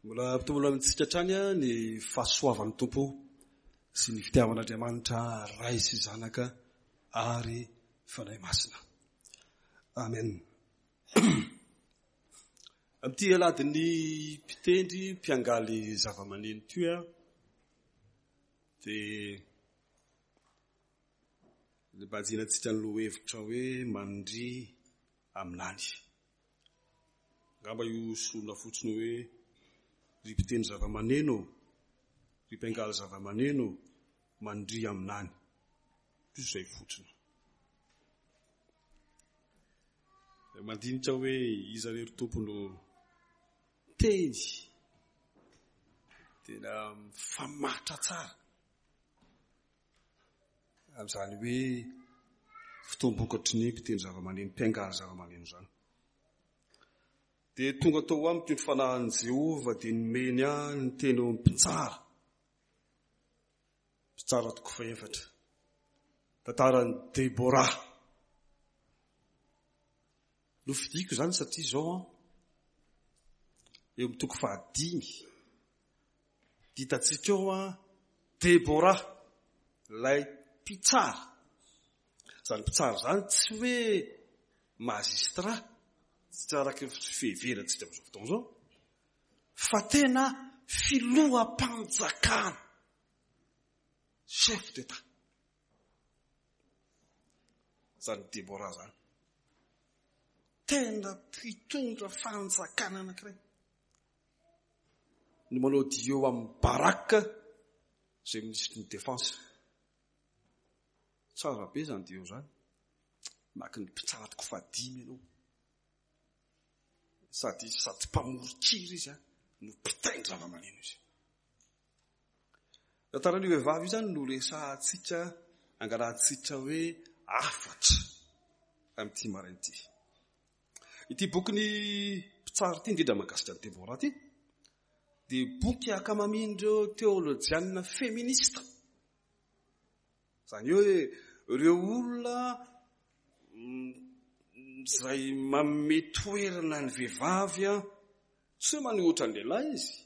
Mbola ampitombona amintsika hatrany ny fahasoavan'ny Tompo sy ny fitiavan'Andriamanitra Ray sy Zanaka ary Fanahy Masina. Amen. Amin'ity aladin'ny mpitendry mpiangaly zava-maneno ity aho dia Nibanjinantsika ny lohahevitra hoe Mandria aminany. Angamba io soloina fotsiny hoe ry mpitendry zava-maneno ô, ry mpiangaly zava-maneno ô, mandria aminany. Toy izay fotsiny. Mandinika hoe iza re ry Tompo no teny tena mifamatotra tsara Amin'izany hoe fotoam-bokatry ny mpitendry zava-maneno, mpiangaly zava-maneno izany. Dia tonga tao amiko ny fanahin'i Jehovah dia nomeny ahy ny teny eo amin'ny mpitsara. Mpitsara toko fahefatra. Tantaran'i Debora. Nofidiko izany satria izao an, eo amin'ny toko fahadimy, hitantsika eo an, Debora, ilay mpitsara. Izany mpitsara izany tsy hoe magistrat, tsy araka ny fiheverantsika amin'izao fotoana izao, fa tena filoham-panjakana, chef d'Etat. Izany Debora izany. Tena mpitondra fanjakana anankiray. No manao duo amin'i Barak izay minisitry ny défense. Tsara be izany duo izany. Maka ny mpitsara toko fahadimy ianao. Sady sady mpamoron-kira izy no mpitaindry zava-maneno izy. Tantaran'io vehivavy io izany no resahantsika, angalahantsika hoe hafatra amin'ity maraina ity. Ity bokin'ny mpitsara ity, indrindra mahakasika an'i Deborah ity, dia boky ankamamin'ireo teolojianina feminista. Izany hoe ireo olona izay manome toerana ny vehivavy, tsy hoe manohitra ny lehilahy izy,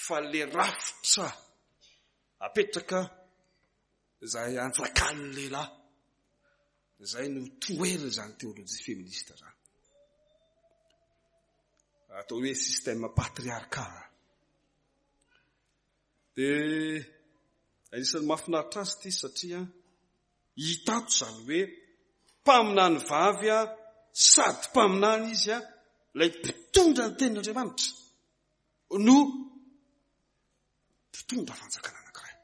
fa le rafitra apetraka izay anjakan'ny lehilahy, izay no toherin'izany teolojia feminista izany. Atao hoe système patriarcal. Dia anisan'ny mahafinaritra azy ity satria hita ato izany hoe mpaminany vavy sady mpaminany izy ilay mpitondra ny tenin'Andriamanitra. no mpitondra fanjakana anankiray.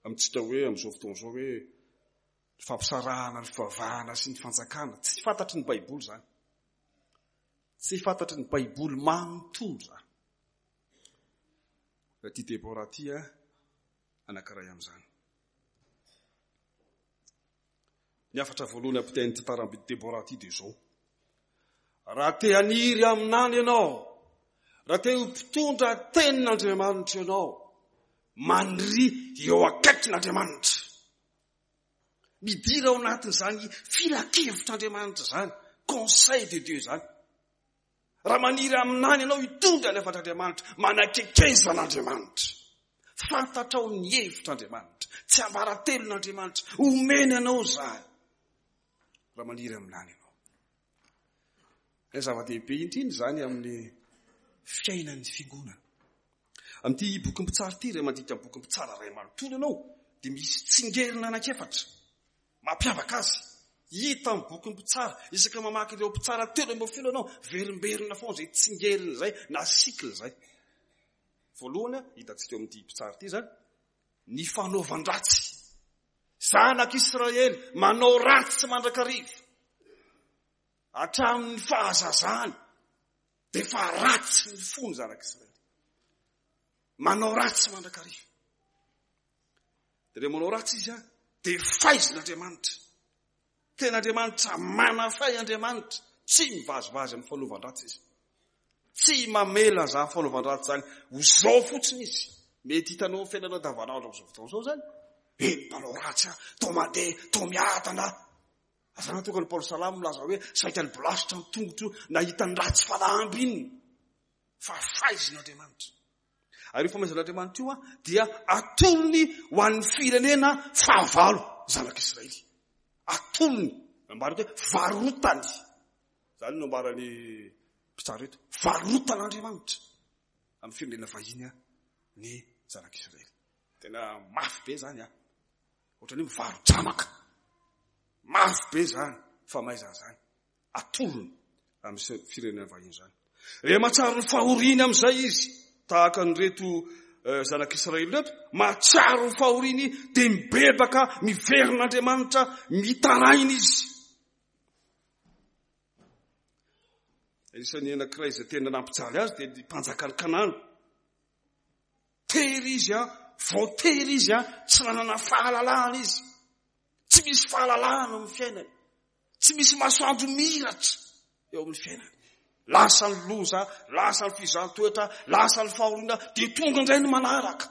Amintsika hoe amin'izao fotoana izao hoe ny fampisarahana ny fivavahana sy ny fanjakana, tsy fantatry ny Baiboly izany. Tsy fantatry ny Baiboly manontolo izany. Ity Debora ity anankiray amin'izany. Ny hafatra voalohany ampitain'ny tantaran'i Debora ity dia izao, Raha te haniry haminany ianao, raha te ho mpitondra tenin'Andriamanitra ianao, maniria eo akaikin'Andriamanitra. Midira ao anatin'izany filan-kevitr'Andriamanitra izany, conseil de Dieu izany. Raha maniry haminany ianao hitondra ny hafatr'Andriamanitra, manakekeza an'Andriamanitra. Fantatrao ny hevitr'Andriamanitra, tsiambaratelon'Andriamanitra, omeny anao izany. Raha maniry haminany ianao. Ilay zava-dehibe indrindra izany amin'ny fiainan'ny fiangonana. Amin'ity bokin'ny mpitsara ity, raha mandika ny bokin'ny mpitsara iray manontolo ianao, dia misy tsingerina anankiefatra. Mampiavaka azy. Hita amin'ny bokin'ny mpitsara. Isaka mamaky ireo mpitsara 13 ianao, verimberina foana izay tsingerina izay na cycle izay. Voalohany, hitantsika eo amin'ity mpitsara ity izany, ny fanaovan-dratsy. Zanak'Israely manao ratsy mandrakariva. Hatramin'ny fahazazany dia efa ratsy ny fony zanak'Israely. Manao ratsy mandrakariva. Dia rehefa manao ratsy izy dia faizin'Andriamanitra. Tena Andriamanitra manafay Andriamanitra. Tsy mivazivazy amin'ny fanaovan-dratsy izy. Tsy mamela izany fanaovan-dratsy izany ho izao fotsiny izy. Mety hitanao amin'ny fiainana andavanandro amin'izao fotoana izao izany. Eh, mpanao ratsy aho, toa mandeha, toa miadana aho. Azana tonga ny Paoly Salamo milaza hoe saika ny bolasitra ny tongotro nahita ny ratsy fanahy ambininy. Fa faizin'Andriamanitra. Ary io famaizan'Andriamanitra io dia atolony ho an'ny firenena fahavalo zanak'Israely. Atolony. Nambarany hoe varotany. Izany no ambaran'ny mpitsara eto. Varotan'Andriamanitra amin'ny firenena vahiny ny zanak'Israely. Tena mafy be izany an. Ohatran'ny hoe mivaro-dramaka. Mafy be izany famaizana izany. Atolony amin'ny firenena vahiny izany. Rehefa mahatsiaro ny fahoriany amin'izay izy, tahaka an'ireto eh, zanak'Israely ireto, mahatsiaro ny fahoriany dia mibebaka, miverina Andriamanitra, mitaraina izy. Anisan'ny anankiray izay tena nampijaly azy dia ny mpanjakan'i Kanana. Tery izy an, voatery izy an, tsy nanana fahalalahana izy. Tsy misy fahalalahana amin'ny fiainany. Tsy misy masoandro miratra eo amin'ny fiainany. Lasa ny loza, lasa ny fizahan-toetra, lasa ny fahoriana, dia tonga indray ny manaraka.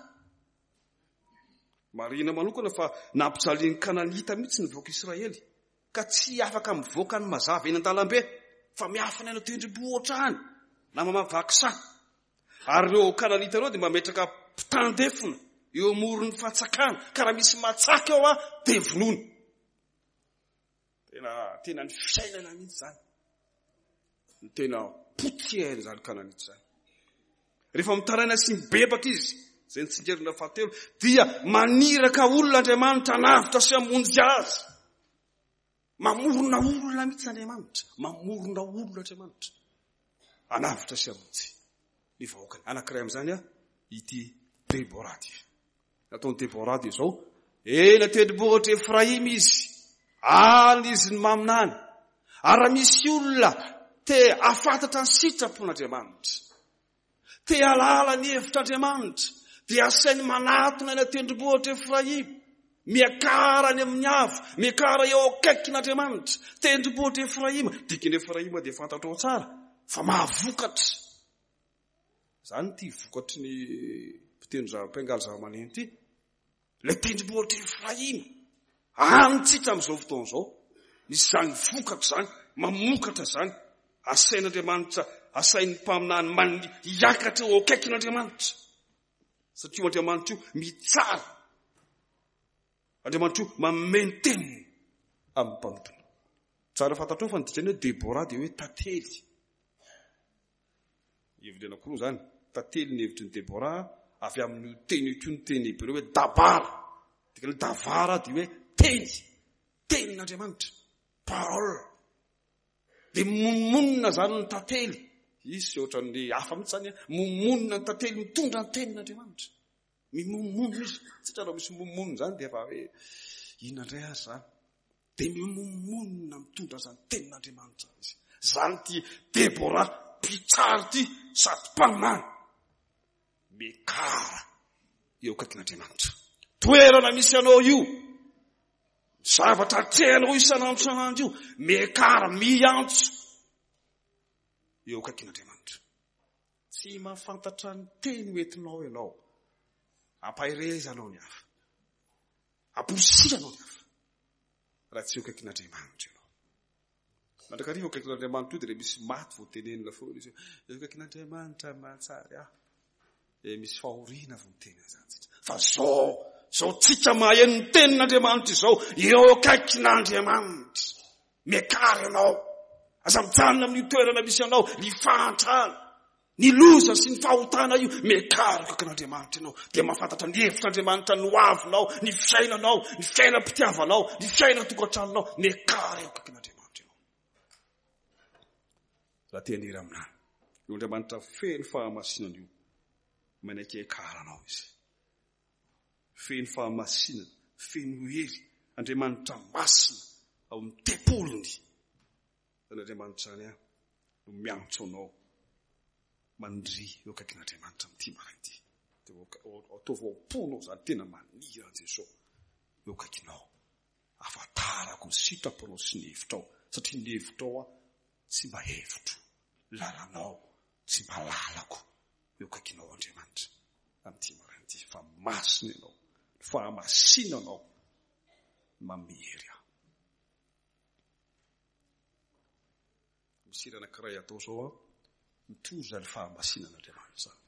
Marihina manokana fa nampijalian'ny Kananita mihitsy ny vahoaka Israely, ka tsy afaka mivoaka ny mazava eny an-dalambe, fa miafina eny an-tendrombohitra any, na mamavaky saha. Ary ireo Kananita ireo dia mametraka mpitandefona eo amoron'ny fantsakana, ka raha misy matsaka eo dia vonoina. Tena, tena ny fiainana mihitsy izany. Ny tena potier izany Kananita izany. Rehefa mitaraina sy mibebaka izy, izay ny tsingerina fahatelo, dia maniraka olona Andriamanitra hanavotra sy hamonjy azy. Mamorona olona mihitsy Andriamanitra. Mamorona olona Andriamanitra. Hanavotra sy hamonjy ny vahoakany. Anankiray amin'izany ity Debora ity. Nataon'i Debora dia izao, eny an-tendrombohitra Efraima izy, any izy ny maminany. Ary raha misy olona te hahafantatra ny sitrapon'Andriamanitra, te hahalala ny hevitr'Andriamanitra, dia asainy manatona eny an-tendrombohitra Efraima, miakara any amin'ny avo, miakara eo akaikin'Andriamanitra, tendrombohitra Efraima. Dikan'i Efraima dia fantatrao tsara fa mahavokatra. Izany ity vokatry ny mpitendry mpiangaly zavamaneno ity. Ilay tendrombohitra Efraima, any tsika amin'izao fotoana izao. Misy izany vokatra izany, mamokatra izany. Asain'Andriamanitra, asain'ny mpaminany manny hiakatra eo akaikin'Andriamanitra. Satria io Andriamanitra io mitsara. Andriamanitra io manome ny teniny amin'ny mpanompony. Tsara fantatrao fa ny dikany hoe Debora dia hoe tantely. Heviny anankiroa izany, tantely ny hevitry ny Deborah, avy amin'io teny io koa ny teny hebreo hoe dabar. Dikany hoe davara dia hoe teny, tenin'Andriamanitra, parole. Dia monomonona izany ny tantely. Hisy ohatran'ny hafa mihitsy izany, monomonona ny tantely mitondra ny tenin'Andriamanitra. Mimonomonona izy. Tsy raha misy mimonomonona izany dia efa hoe inona indray ary izany. Dia mimonomonona mitondra izany tenin'Andriamanitra izany izy. Izany ity Debora mpitsara ity sady mpaminany. Miakara eo akaikin'Andriamanitra. Toerana misy anao io. Zavatra atrehanao isan'andro isan'andro io. Miakara, miantso eo akaikin'Andriamanitra. Tsy mahafantatra ny teny ho entinao ianao. Ampaherezanao ny hafa. Amporisihanao ny hafa. Raha tsy eo akaikin'Andriamanitra ianao. Mandrakariva eo akaikin'Andriamanitra io dia misy maty vao tenenina foana izy. Eo akaikin'Andriamanitra mahatsary ahy. Dia misy fahoriana vao miteny an'izany tsika. Fa zao, zao tsika maheno ny tenin'Andriamanitra izao, eo akaikin'Andriamanitra. Miakara ianao. Aza mijanona amin'io toerana misy anao, ny fahantrana, ny loza sy ny fahotana io. Miakara akaikin'Andriamanitra ianao. Dia mahafantatra ny hevitr'Andriamanitra ny hoavinao, ny fiainanao, ny fiainam-pitiavanao, ny fiainan-tokantranonao. Miakara eo akaikin'Andriamanitra ianao. Raha te haniry aminany, io Andriamanitra feno fahamasinana io, manaiky hiakaranao izy. Feno fahamasinana, feno hery, Andriamanitra masina ao amin'ny tempoliny. Izany Andriamanitra izany no miantso anao maniria eo akaikin'Andriamanitra amin'ity maraina ity. Dia ataovy ao am-ponao izany tena maniry an'i Jesosy eo akaikinao. Ahafantarako ny sitraponao sy ny hevitrao, satria ny hevitrao tsy mba hevitro, lalanao tsy mba lalako. Eo akaikinao Andriamanitra amin'ity maraina ity fa masina ianao, ny fahamasinanao no manome hery ahy. Misy hira anankiray atao izao an, mitory izany fahamasinan'Andriamanitra izany.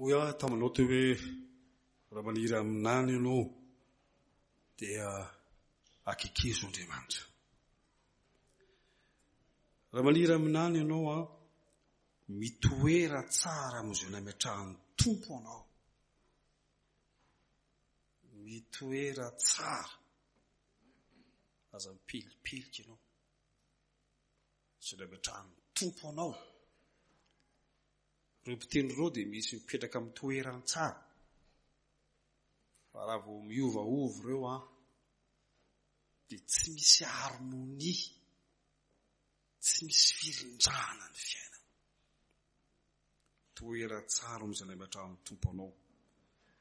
Hoy aho taminao teo hoe raha maniry haminany ianao dia akekezo Andriamanitra. Raha maniry haminany ianao an, mitoera tsara amin'izay nametrahan'ny Tompo anao. Mitoera tsara. Aza mipelipelika ianao. Izay nametrahan'ny Tompo anao. Ireo mpitendry ireo dia misy mipetraka amin'ny toerany tsara. Fa raha vao miovaova ireo an, dia tsy misy harmonie, tsy misy firindrana ny fiainana. Toeran-tsara amin'izay nametrahan'ny Tompo anao.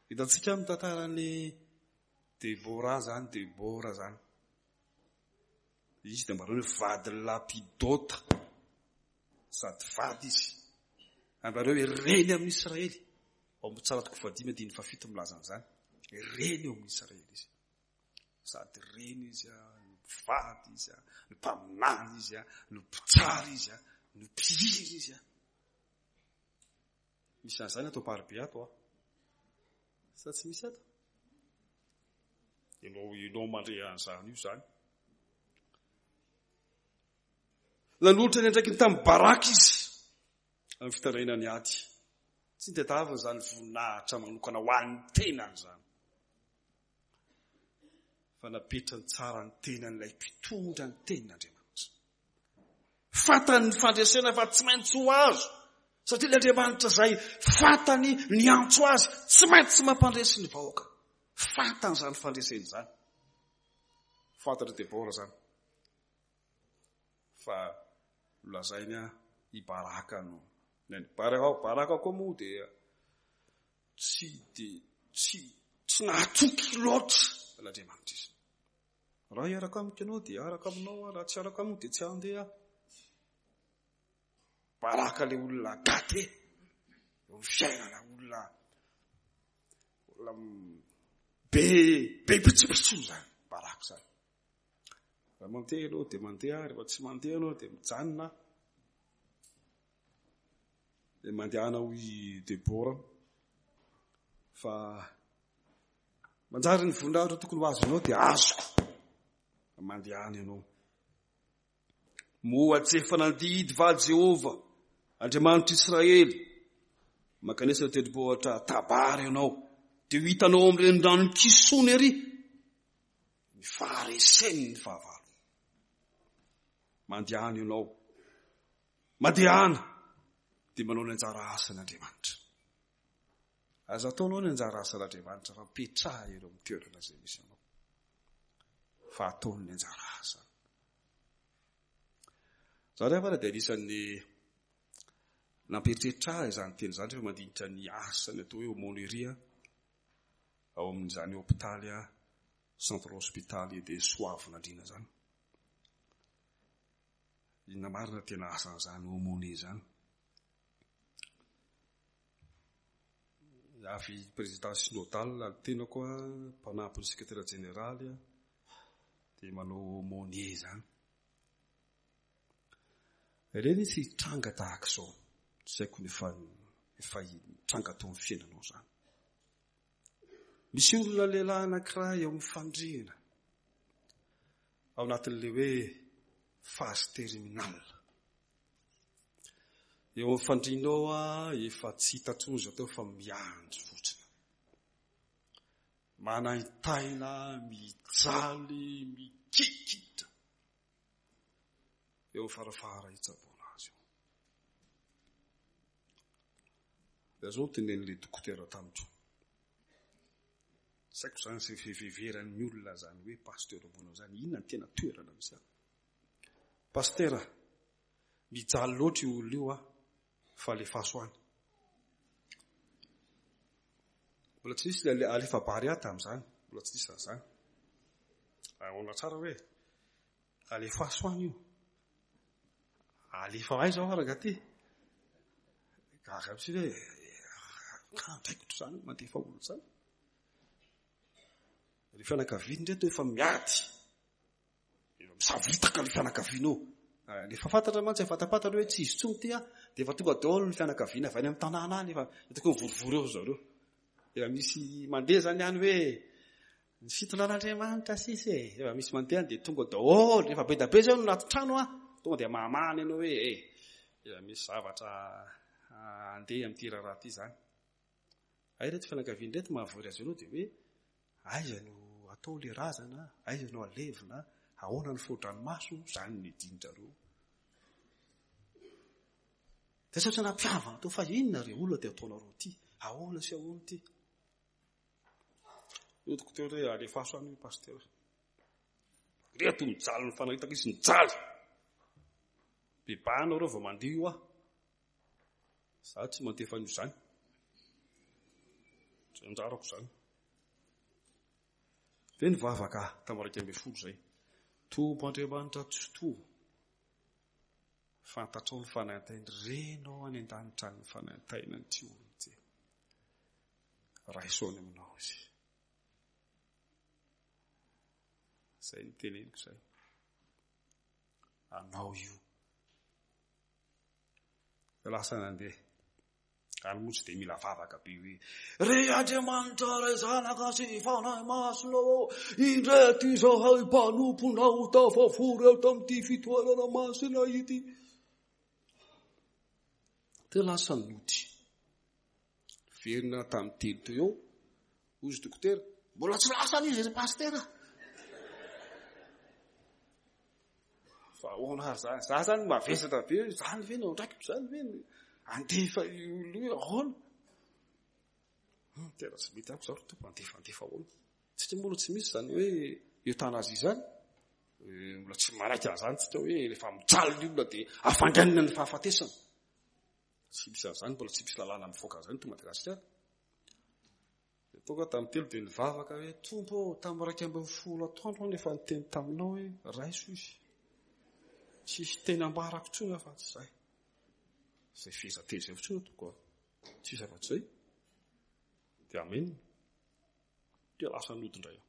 Hitantsika amin'ny tantaran'i Debora izany, Debora izany. Izy dia mba hoe vadin'i Lapidota. Sady vady izy. Ambareo hoe reny amin'ny Israely. Ao amin'ny Mpitsara toko fahadimy andininy fahafito milaza an'izany. Reny eo amin'ny Israely izy. Sady reny izy, no mpivady izy, no mpaminany izy, no mpitsara izy, no mpihira izy. Misy an'izany ato Amparibe ato an. Sa tsy misy ato? Ianao, ianao mandre an'izany io izany. Nanolotra ny andraikiny tamin'i Baraka izy amin'ny fitarainany ny ady. Tsy nitadiaviny izany voninahitra manokana ho an'ny tenany izany. Fa napetrany tsara ny tenan'ilay mpitondra ny tenin'Andriamanitra. Fantany ny fandresena fa tsy maintsy ho azo, satria ilay Andriamanitra izay fantany niantso azy tsy maintsy mampandresy ny vahoaka. Fantany izany fandresena izany. Fantatr'i Debora izany. Fa nolazainy i Baraka no. Baraka, Baraka koa moa dia tsy dia tsy tsy nahatoky loatra an'Andriamanitra izy. Raha hiaraka amiko ianao dia hiaraka aminao aho, raha tsy hiaraka amiko dia tsy handeha aho. Baraka ilay olona gâté eo amin'ny fiainana, olona olona be be pitsopitso izany, baraka izany. Raha mandeha ianao dia mandeha, rehefa tsy mandeha ianao dia mijanona. Dia mandehana hoy Debora fa Manjary ny voninahitra tokony ho azonao dia azoko. Mandehana ianao. Moa tsy efa nandidy va Jehovah, Andriamanitr'Israely? Mankanesa ny tendrombohitra Tabara ianao, dia ho hitanao amin'ny renirano Kisona ery ny faharesen'ny fahavalo. Mandehana ianao. Mandehana dia manao ny anjara asan'Andriamanitra. Aza ataonao ny anjara asan'Andriamanitra fa mipetraha eo amin'ny toerana izay misy anao. Fa ataony ny anjara asany. Za ry havana dia anisan'ny nampieritreritra ahy izany teny izany rehefa mandinika ny asany atao hoe aumônerie ao amin'izany hopitaly centre hospitalier de Soavinandriana izany. Inona marina tena asan'izany aumônier izany? Avy président synodal ny tenako, mpanampy ny secrétaire jeneraly, dia manao aumônier izany. Ireny tsy hitranga tahaka izao. Tsy haiko ny efa efa nitranga tao amin'ny fiainanao izany. Misy olona lehilahy anankiray eo amin'ny fandriana. Ao anatin'ilay hoe phase terminale. Eo amin'ny fandriana ao aho efa tsy hita intsony izay atao fa miandry fotsiny. Manaintaina, mijaly, mikikitra. Eo amin'ny farafahara hitsaboana azy eo. Dia zao no tenenin'ilay dokotera tamiko. Tsy haiko izany izay fiheveran'ny olona izany hoe pasteur ambony izany. Inona ny tena toerana misy azy? Pasitera, mijaly loatra io olona io fa alefaso any. Mbola tsy nisy ilay alefa Barea tamin'izany, mbola tsy nisy an'izany. Ahoana tsara hoe alefaso any io. Alefa aiza aho rangahy ty? Gaga mihitsy hoe ka andraikitro izany mandefa olona izany. Ry fianakaviany ireto efa miady. Efa misavoritaka ny fianakaviana eo. Rehefa fantatra mantsy, efa fantapantatra hoe tsy izy intsony ity an, dia efa tonga daholo ny fianakaviana avy any amin'ny tanàna any, efa hitako hoe mivorivory eo ry zareo. Efa misy mandeha izany any hoe ny fitondran'Andriamanitra sisa e. Efa misy mandeha any dia tonga daholo, rehefa be dia be izao no anaty trano an, tonga dia mahamahana ianao hoe e, efa misy zavatra handeha amin'ity raharaha ity izany. Hay ireto fianakaviana ireto mahavory azy ireo dia hoe aiza no atao ilay razana, aiza no alevina, ahoana ny fo-dranomaso, izany ny dinitrareo. Dia saotra nampihavana teo fa inona re olona dia ataonareo ity? Ahoana sy ahoana ity? Io dokotera hoe alefaso any io pasitera. Reto mijaly ny fanaritaka izy mijaly. Bebahana ireo vao mandihy io aho. Za tsy mandefa an'io zany. Tsy anjarako zany. Dia nivavaka tamin'ny 11 izay. Tompo Andriamanitra Tsitoha. Fantatrao ny fanaintainy, renao any an-danitra any ny fanaintainan'ity olona ity. Raiso any aminao izy. Izay no teneniko izay. Anao io. Lasa nandeha. Any moa tsy dia mila vavaka be hoe, Ry Andriamanitra Ray Zanaka sy Fanahy Masina ô, indreto izahay mpanomponao tafavory ato amin'ity fitoerana masina ity. Dia lasa nody. Verina tamin'ny telo teo eo, hoy izy dokotera, mbola tsy lasa izy ry pasitera. Fa ahoana ary zany? Za zany mavesatra be hoe zany ve no andraikitro, zany ve no andefa io olona io, ahoana? Tena tsy mety amiko zao ry Tompo, andefa, andefa ahoana? Tsika moa aloha tsy misy izany hoe euthanasie izany. Mbola tsy manaiky an'izany tsika hoe rehefa mijaly ny olona dia hafainganina ny fahafatesana. Tsy misy an'izany, mbola tsy misy lalàna mivoaka an'izany eto Madagasikara. Dia tonga tamin'ny telo dia nivavaka hoe, Tompo ô, tamin'ny 11 atoandro aho no efa niteny taminao hoe raiso izy. Tsisy teny ambarako intsony afa-tsy izay. Izay fehezanteny izay fotsiny no ataoko a. Tsisy afa-tsy izay. Dia amen. Dia lasa nody indray aho.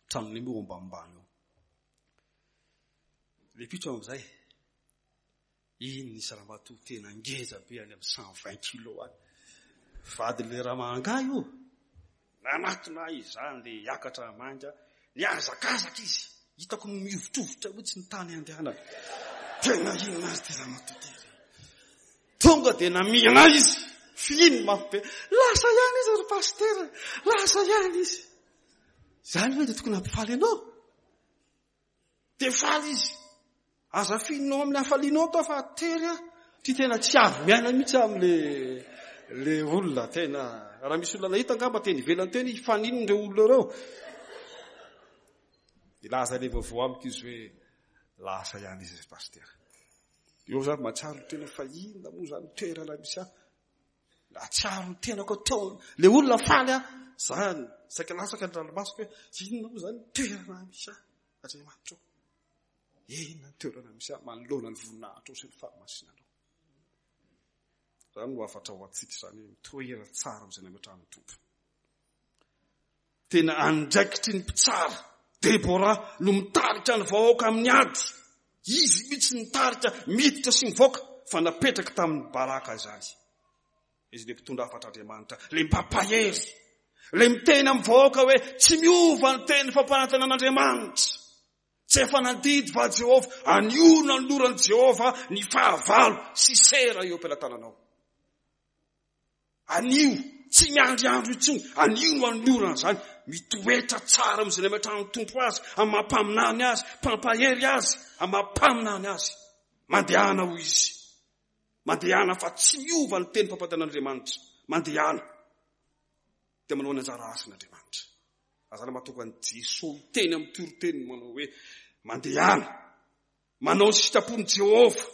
Tranonay moa eo ambanimbany eo. Ilay mpitro amin'izay. Iny nisy ramatoa tena ngeza be any amin'ny 120 kilos any. Vadin'ilay ramahanga io. Nanatona ahy izany le hiakatra manga, nihazakazaka izy. Hitako mihovitrovitra mihitsy ny tany andehanany. Tena inona ary ity ramatoa ity re. Tonga dia namihina ahy izy. Fihiny mafy be. Lasa ihany izy ry pasitera. Lasa ihany izy. Izany ve dia tokony hampifaly anao? Dia faly izy. Aza fihinao amin'ny hafalianao atao fa tery aho. Ty tena tsy avy miaina mihitsy amin'le le olona tena. Raha misy olona nahita angamba teny ivelany teny hifaninona ireo olona ireo. Nilaza le vaovao amiko izy hoe lasa ihany izy ry pasitera. Eo za mahatsiaro ny tena fa inona moa izany toerana misy ahy. Nahatsiaro ny tenako teo le olona faly aho. Zany saika latsaka ny ranomasoko hoe inona moa izany toerana misy ahy. Andriamanitra ô, inona ny toerana misy ahy manoloana ny voninahitrao sy ny fahamasinanao. Izany no hafatra ho antsika izany hoe mitoera tsara amin'izay nametrahan'ny Tompo. Tena andraikitry ny mpitsara Debora no mitarika ny vahoaka amin'ny ady. Izy mihitsy nitarika miditra sy mivoaka fa napetraka tamin'ny Baraka izany. Izy ilay mpitondra hafatr'Andriamanitra, ilay mpampahery, ilay miteny amin'ny vahoaka hoe tsy miova ny teny fampanantenan'Andriamanitra. Tsy efa nandidy va Jehovah, anio nanoloran'i Jehovah ny fahavalo Sisera eo am-pelatananao. Anio, tsy miandry andro intsony, anio no anolorana izany. Mitoetra tsara amin'izay nametrahan'ny Tompo azy, amin'ny maha mpaminany azy, mpampahery azy, amin'ny maha mpaminany azy. Mandehana hoy izy. Mandehana fa tsy miova ny teny fampanantenan'Andriamanitra. Mandehana. Dia manao ny anjara asany Andriamanitra. Azana mahatonga an'i Jesoa miteny amin'ny toriteniny manao hoe mandehana. Manao ny sitrapon'i Jehovah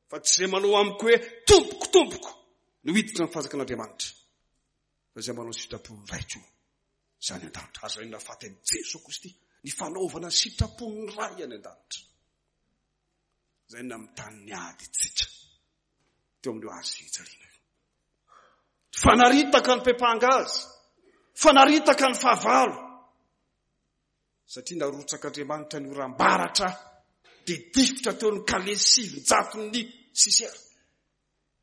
fa tsy izay manao amiko hoe tompoko tompoko no hiditra ny fanjakan'Andriamanitra. Fa izay manao ny sitrapon'ny Raiko izany an-danitra. Azo rainina faty amin'i Jesoa Kristy ny fanaovana ny sitrapon'ny Ray any an-danitra. Izay namitany ny ady tsika teo amin'io hazo fijaliana io. Fanaritaka ny mpepanga azy, fanaritaka ny fahavalo. Satria narotsak'Andriamanitra ny oram-baratra dia difotra teo ny kalesy sivinjaton'ny Sisera.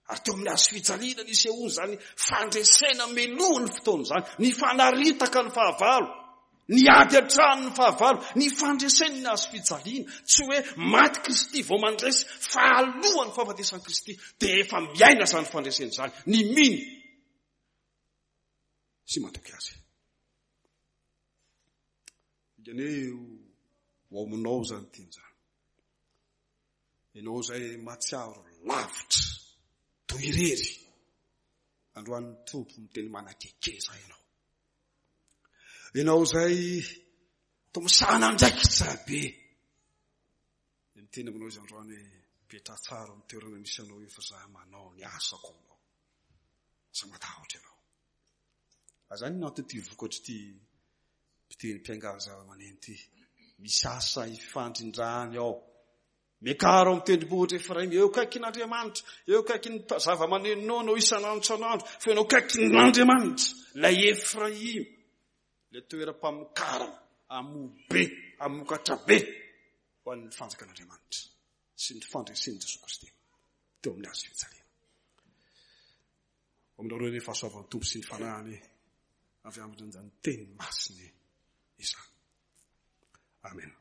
Ary teo amin'ny hazo fijaliana nisehoany izany fandresena melohan'ny fotoana izany, nifanaritaka ny fahavalo, niady hatrany ny fahavalo, ny fandreseny ny hazo fijaliana. Tsy hoe maty Kristy vao mandresy, fa alohan'ny fahafatesan'i Kristy dia efa miaina izany fandresena izany, ny mino sy matoky azy. Dikany hoe ho aminao izany teny izany. Ianao izay mahatsiaro lavitra. Toy irery. Androany ny Tompo miteny manakekeza ianao. Ianao izay toa misahana andraikitra be. Dia miteny aminao izy androany hoe petraha tsara amin'ny toerana misy anao io fa za manao ny asako aminao. Aza matahotra ianao. Aza ny anton'ity vokatr'ity mpiteny mpiangaly zava-maneno ity. Misy asa ifandrindrany ao. Miakara ao amin'ny tendrombohitra Efraima, eo akaikin'Andriamanitra, eo akaikin'ny zava-manenonao ianao isan'andro isan'andro, fa ianao akaikin'Andriamanitra, ilay Efraima, ilay toeram-pamokarana, hamoa be, hamokatra be ho an'ny fanjakan'Andriamanitra sy ny fandresen'i Jesoa Kristy teo amin'ny hazo fijaliana. Ho aminareo ny fahasoavan'ny Tompo sy ny Fanahiny avy amin'izany teny masiny izany. Amen.